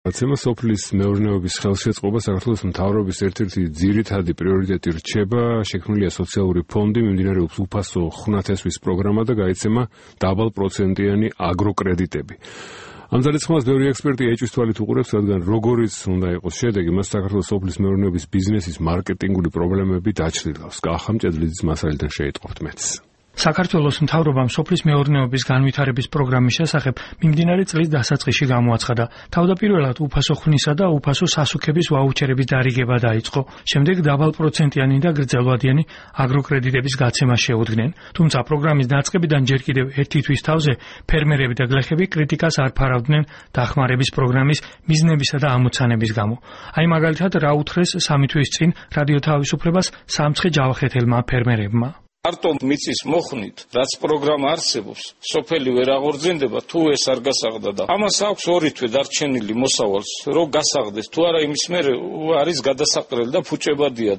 აცემა სოფლის მეურნეობის ხელშეწყობა საქართველოს მთავრობის ერთ-ერთი ძირითადი პრიორიტეტი რჩება, შექმნილია სოციალური ფონდი, მიმდინარეობს უფასო ხუნათესვის პროგრამა და გაიცემა დაბალპროცენტიანი აგროკრედიტები. ამ ძალისხმევას ბევრი ექსპერტი ეჭვის თვალით უყურებს, რადგან როგორიც უნდა იყოს შედეგი, მას საქართველოს სოფლის მეურნეობის ბიზნესის მარკეტინგული პრობლემები დაჩრდილავს. კახა მჭედლიძის მასალიდან შეიტყობთ მეც. საქართველოს მთავრობამ სოფლის მეურნეობის განვითარების პროგრამის შესახებ მიმდინარე წლის დასაწყისში გამოაცხადა. თავდაპირველად უფასო ხვნისა და უფასო სასუქების ვაუჩერების დარიგება დაიწყო. შემდეგ დაბალპროცენტიანი და გრძელვადიანი აგროკრედიტების გაცემა შეუდგნენ. თუმცა პროგრამის დაწყებიდან ჯერ კიდევ ერთი თვის თავზე ფერმერები და გლეხები კრიტიკას არ ფარავდნენ დახმარების პროგრამის მიზნებისა და ამოცანების გამო. აი მაგალითად რა უთხრეს 3 თვის წინ რადიო თავისუფლებას სამცხე ჯავახეთელმა ფერმერებმა. Არტო მიწის მოხნით, რაც პროგრამა არსებობს, სოფელი ვერ აღორძინდება, თუ ეს არ გასაღდა და ამას აქვს 2 თვე დარჩენილი მოსავალს, რომ გასაღდეს, თუ არა იმის მერე არის გადასაყრელი და ფუჭებადია.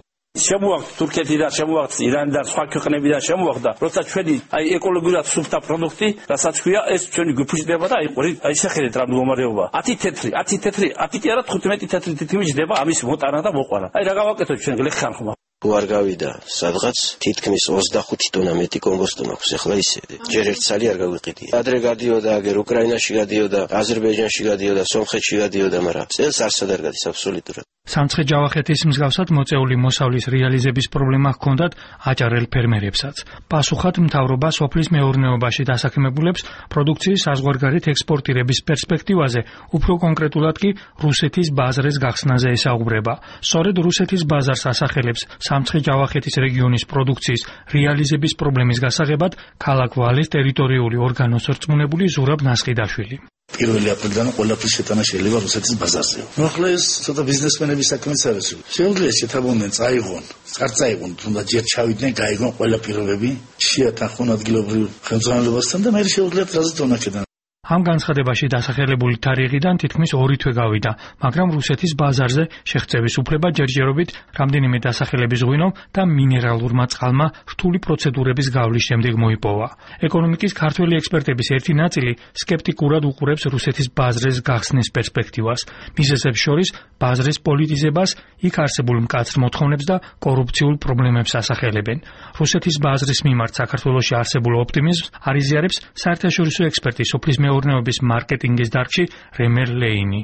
შემოაქვს თურქეთიდან, შემოაქვს ირანიდან, სხვა ქვეყნებიდან შემოაქვს და როცა ჩვენი ეკოლოგიურად სუფთა პროდუქტი, რასაც ქვია, ეს ჩვენი გიფუჭდება და აი შეხედეთ რა მდგომარეობა. 10 თეთრი, 10 კი არა 15 თეთრი თითქმის ჯდება ამის მოტანა და მოყვარა. აი რა გავაკეთოთ ჩვენ გლეხთან ხმა. თუ არ გავიდა სადღაც თითქმის 25 ტონა მეტი კომბოსტო მაქვს, ახლა ისე ჯერ ერთ ცალი არ გავიყიდია. ადრე გადიოდა, აგერ უკრაინაში გადიოდა, აზერბაიჯანში გადიოდა, სომხეთში გადიოდა, მაგრამ წელს არსად არ გადის აბსოლუტურად. სამცხე ჯავახეთის მსგავსად მოწეული მოსავლის რეალიზების პრობლემა ჰქონდათ აჭარელ ფერმერებსაც. პასუხად მთავრობა სოფლის მეურნეობაში დასაქმებულებს პროდუქციის საზღვარგარეთ ექსპორტირების პერსპექტივაზე, უფრო კონკრეტულად კი რუსეთის ბაზრის გახსნაზე ესაუბრება. სწორედ რუსეთის ბაზარს ასახელებს სამცხე ჯავახეთის რეგიონის პროდუქციის რეალიზების პრობლემის გასაღებად ქალაქ ვალეს ტერიტორიული ორგანოს რწმუნებული ზურაბ ნასყიდაშვილი. 1 აპრილიდან ყველაფრის შეტანა შეიძლება რუსეთის ბაზარზე. ახლა ეს ცოტა ბიზნესმენების საქმეც არის. შეუძლია შეთანხმდნენ, წაიღონ, არ წაიღონ, თუნდაც ჯერ ჩავიდნენ, გაიგონ ყველა პირობები, შეათანხმონ ადგილობრივ ხელმძღვანელობასთან და მე შეუძლიათ რაზე დონაკედან. ამ განცხადებაში დასახელებული თარიღიდან თითქმის 2 თვე გავიდა, მაგრამ რუსეთის ბაზარზე შეღწევის უფლება ჯერჯერობით რამდენიმე დასახელების ღვინომ და მინერალურმა წყალმა რთული პროცედურების გავლის შემდეგ მოიპოვა. ეკონომიკის ქართველი ექსპერტების ერთი ნაწილი სკეპტიკურად უყურებს რუსეთის ბაზრის გახსნის პერსპექტივას. მიზეზებს შორის ბაზრის პოლიტიზებას, იქ არსებულ მკაცრ მოთხოვნებს და კორუფციულ პრობლემებს ასახელებენ. რუსეთის ბაზრის მიმართ საქართველოში არსებულ ოპტიმიზმს არიზიარებს საერთაშორისო ექსპერტი სოფლის მეურნეობის მარკეტინგის დარგში რემერ ლეინი.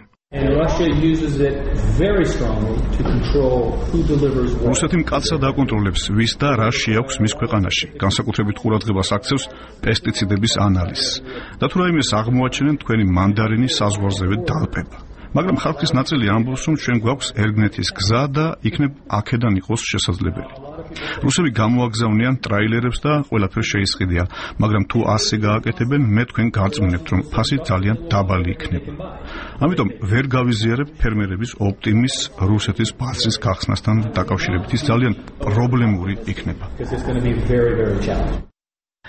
რუსეთი მკაცრად აკონტროლებს ვის და რა შეაქვს მის ქვეყანაში, განსაკუთრებით ყურადღებას აქცევს პესტიციდების ანალიზს. და თუ რაიმეს აღმოაჩენენ, თქვენი მანდარინი საზღვარზევე დალპება. მაგრამ ხალხის ნაწილი ამბობს, რომ ჩვენ გვაქვს ერგნეთის გზა და იქნებ აქედან იყოს შესაძლებელი. რუსები გამოაგზავნიან ტრაილერებს და ყველაფერს შეისყიდია, მაგრამ თუ ასე გააკეთებენ, მე თქვენ გარწმუნებთ, რომ ფასი ძალიან დაბალი იქნება. ამიტომ ვერ გავიზიარებ ფერმერების ოპტიმიზმს რუსეთის ბაზრის გახსნასთან დაკავშირებით, ის ძალიან პრობლემური იქნება.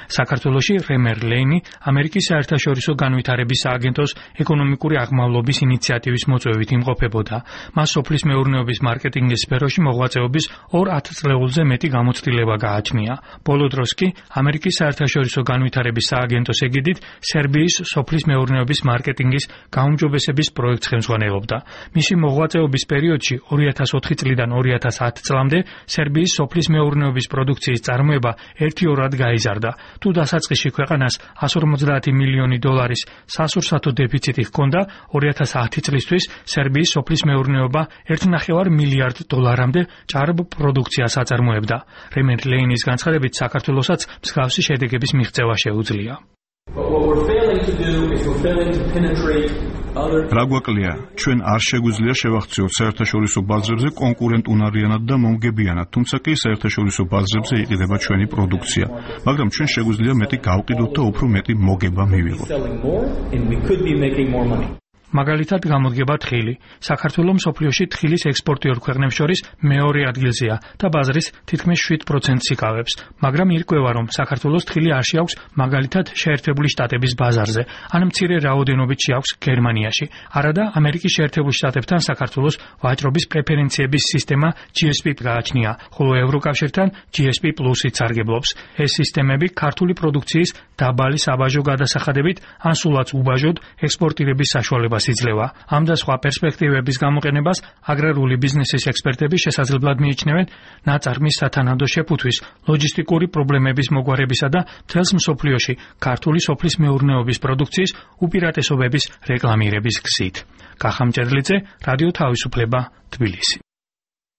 საქართველოში რემერ ლეინი ამერიკის საერთაშორისო განვითარების სააგენტოს ეკონომიკური აღმავლობის ინიციატივის მოწვევით იმყოფებოდა. მას სოფლის მეურნეობის მარკეტინგის სფეროში მოღვაწეობის 2 წლეულზე მეტი გამოცდილება გააჩნია. ბოლო დროს კი ამერიკის საერთაშორისო განვითარების სააგენტოს ეგიდით სერბიის სოფლის მეურნეობის მარკეტინგის გაუმჯობესების პროექტს ხელმძღვანელობდა. მისი მოღვაწეობის პერიოდში 2004 წლიდან 2010 წლამდე სერბიის სოფლის მეურნეობის პროდუქციის წარმოება 1-2-რად გაიზარდა. თუ დასაწყისში ქვეყანას 150 მილიონი დოლარის სასურსათო დეფიციტი ჰქონდა, 2010 წლისთვის სერბიის სოფლის მეურნეობა 1,5 მილიარდ დოლარამდე ჭარბ პროდუქციას აწარმოებდა. რემერ ლეინის განცხადებით, საქართველოსაც მსგავსი შედეგების მიღწევა შეუძლია. რა გვაკლია, ჩვენ არ შეგვიძლია შევახციოთ საერთაშორისო ბაზრებზე კონკურენტუნარიანად და მომგებიანად, თუმცა კი საერთაშორისო ბაზრებზე იყიდება ჩვენი პროდუქცია, მაგრამ ჩვენ შეგვიძლია მეტი გავყიდოთ და უფრო მეტი მოგება მივიღოთ. მაგალითად გამოდგება თხილი. საქართველო მსოფლიოში თხილის ექსპორტიორ ქვეყნებს შორის მეორე ადგილზეა და ბაზრის თითქმის 7%-ს იკავებს. მაგრამ ირკვევა, რომ საქართველოს თხილი არ შეაქვს მაგალითად შეერთებული შტატების ბაზარზე, ან მცირე რაოდენობით შეაქვს გერმანიაში. არადა ამერიკის შეერთებულ შტატებთან საქართველოს ვაჭრობის პრეფერენციების სისტემა GSP გააჩნია, ხოლო ევროკავშირთან GSP+-ით სარგებლობს. ეს სისტემები ქართული პროდუქციის დაბალი საბაჟო გადასახადებით ან სულაც უბაჟოდ ექსპორტირების საშუალებას განვითარებას იძლევა. ამ და სხვა პერსპექტივების გამოყენებას აგრარული ბიზნესის ექსპერტები შესაძლებლად მიიჩნევენ ნაწარმის სათანადო შეფუთვის, ლოჯისტიკური პრობლემების მოგვარებისა და მთელს მსოფლიოში ქართული სოფლის მეურნეობის პროდუქციის უპირატესობების რეკლამირების გზით. კახა მჭედლიძე, რადიო თავისუფლება, თბილისი.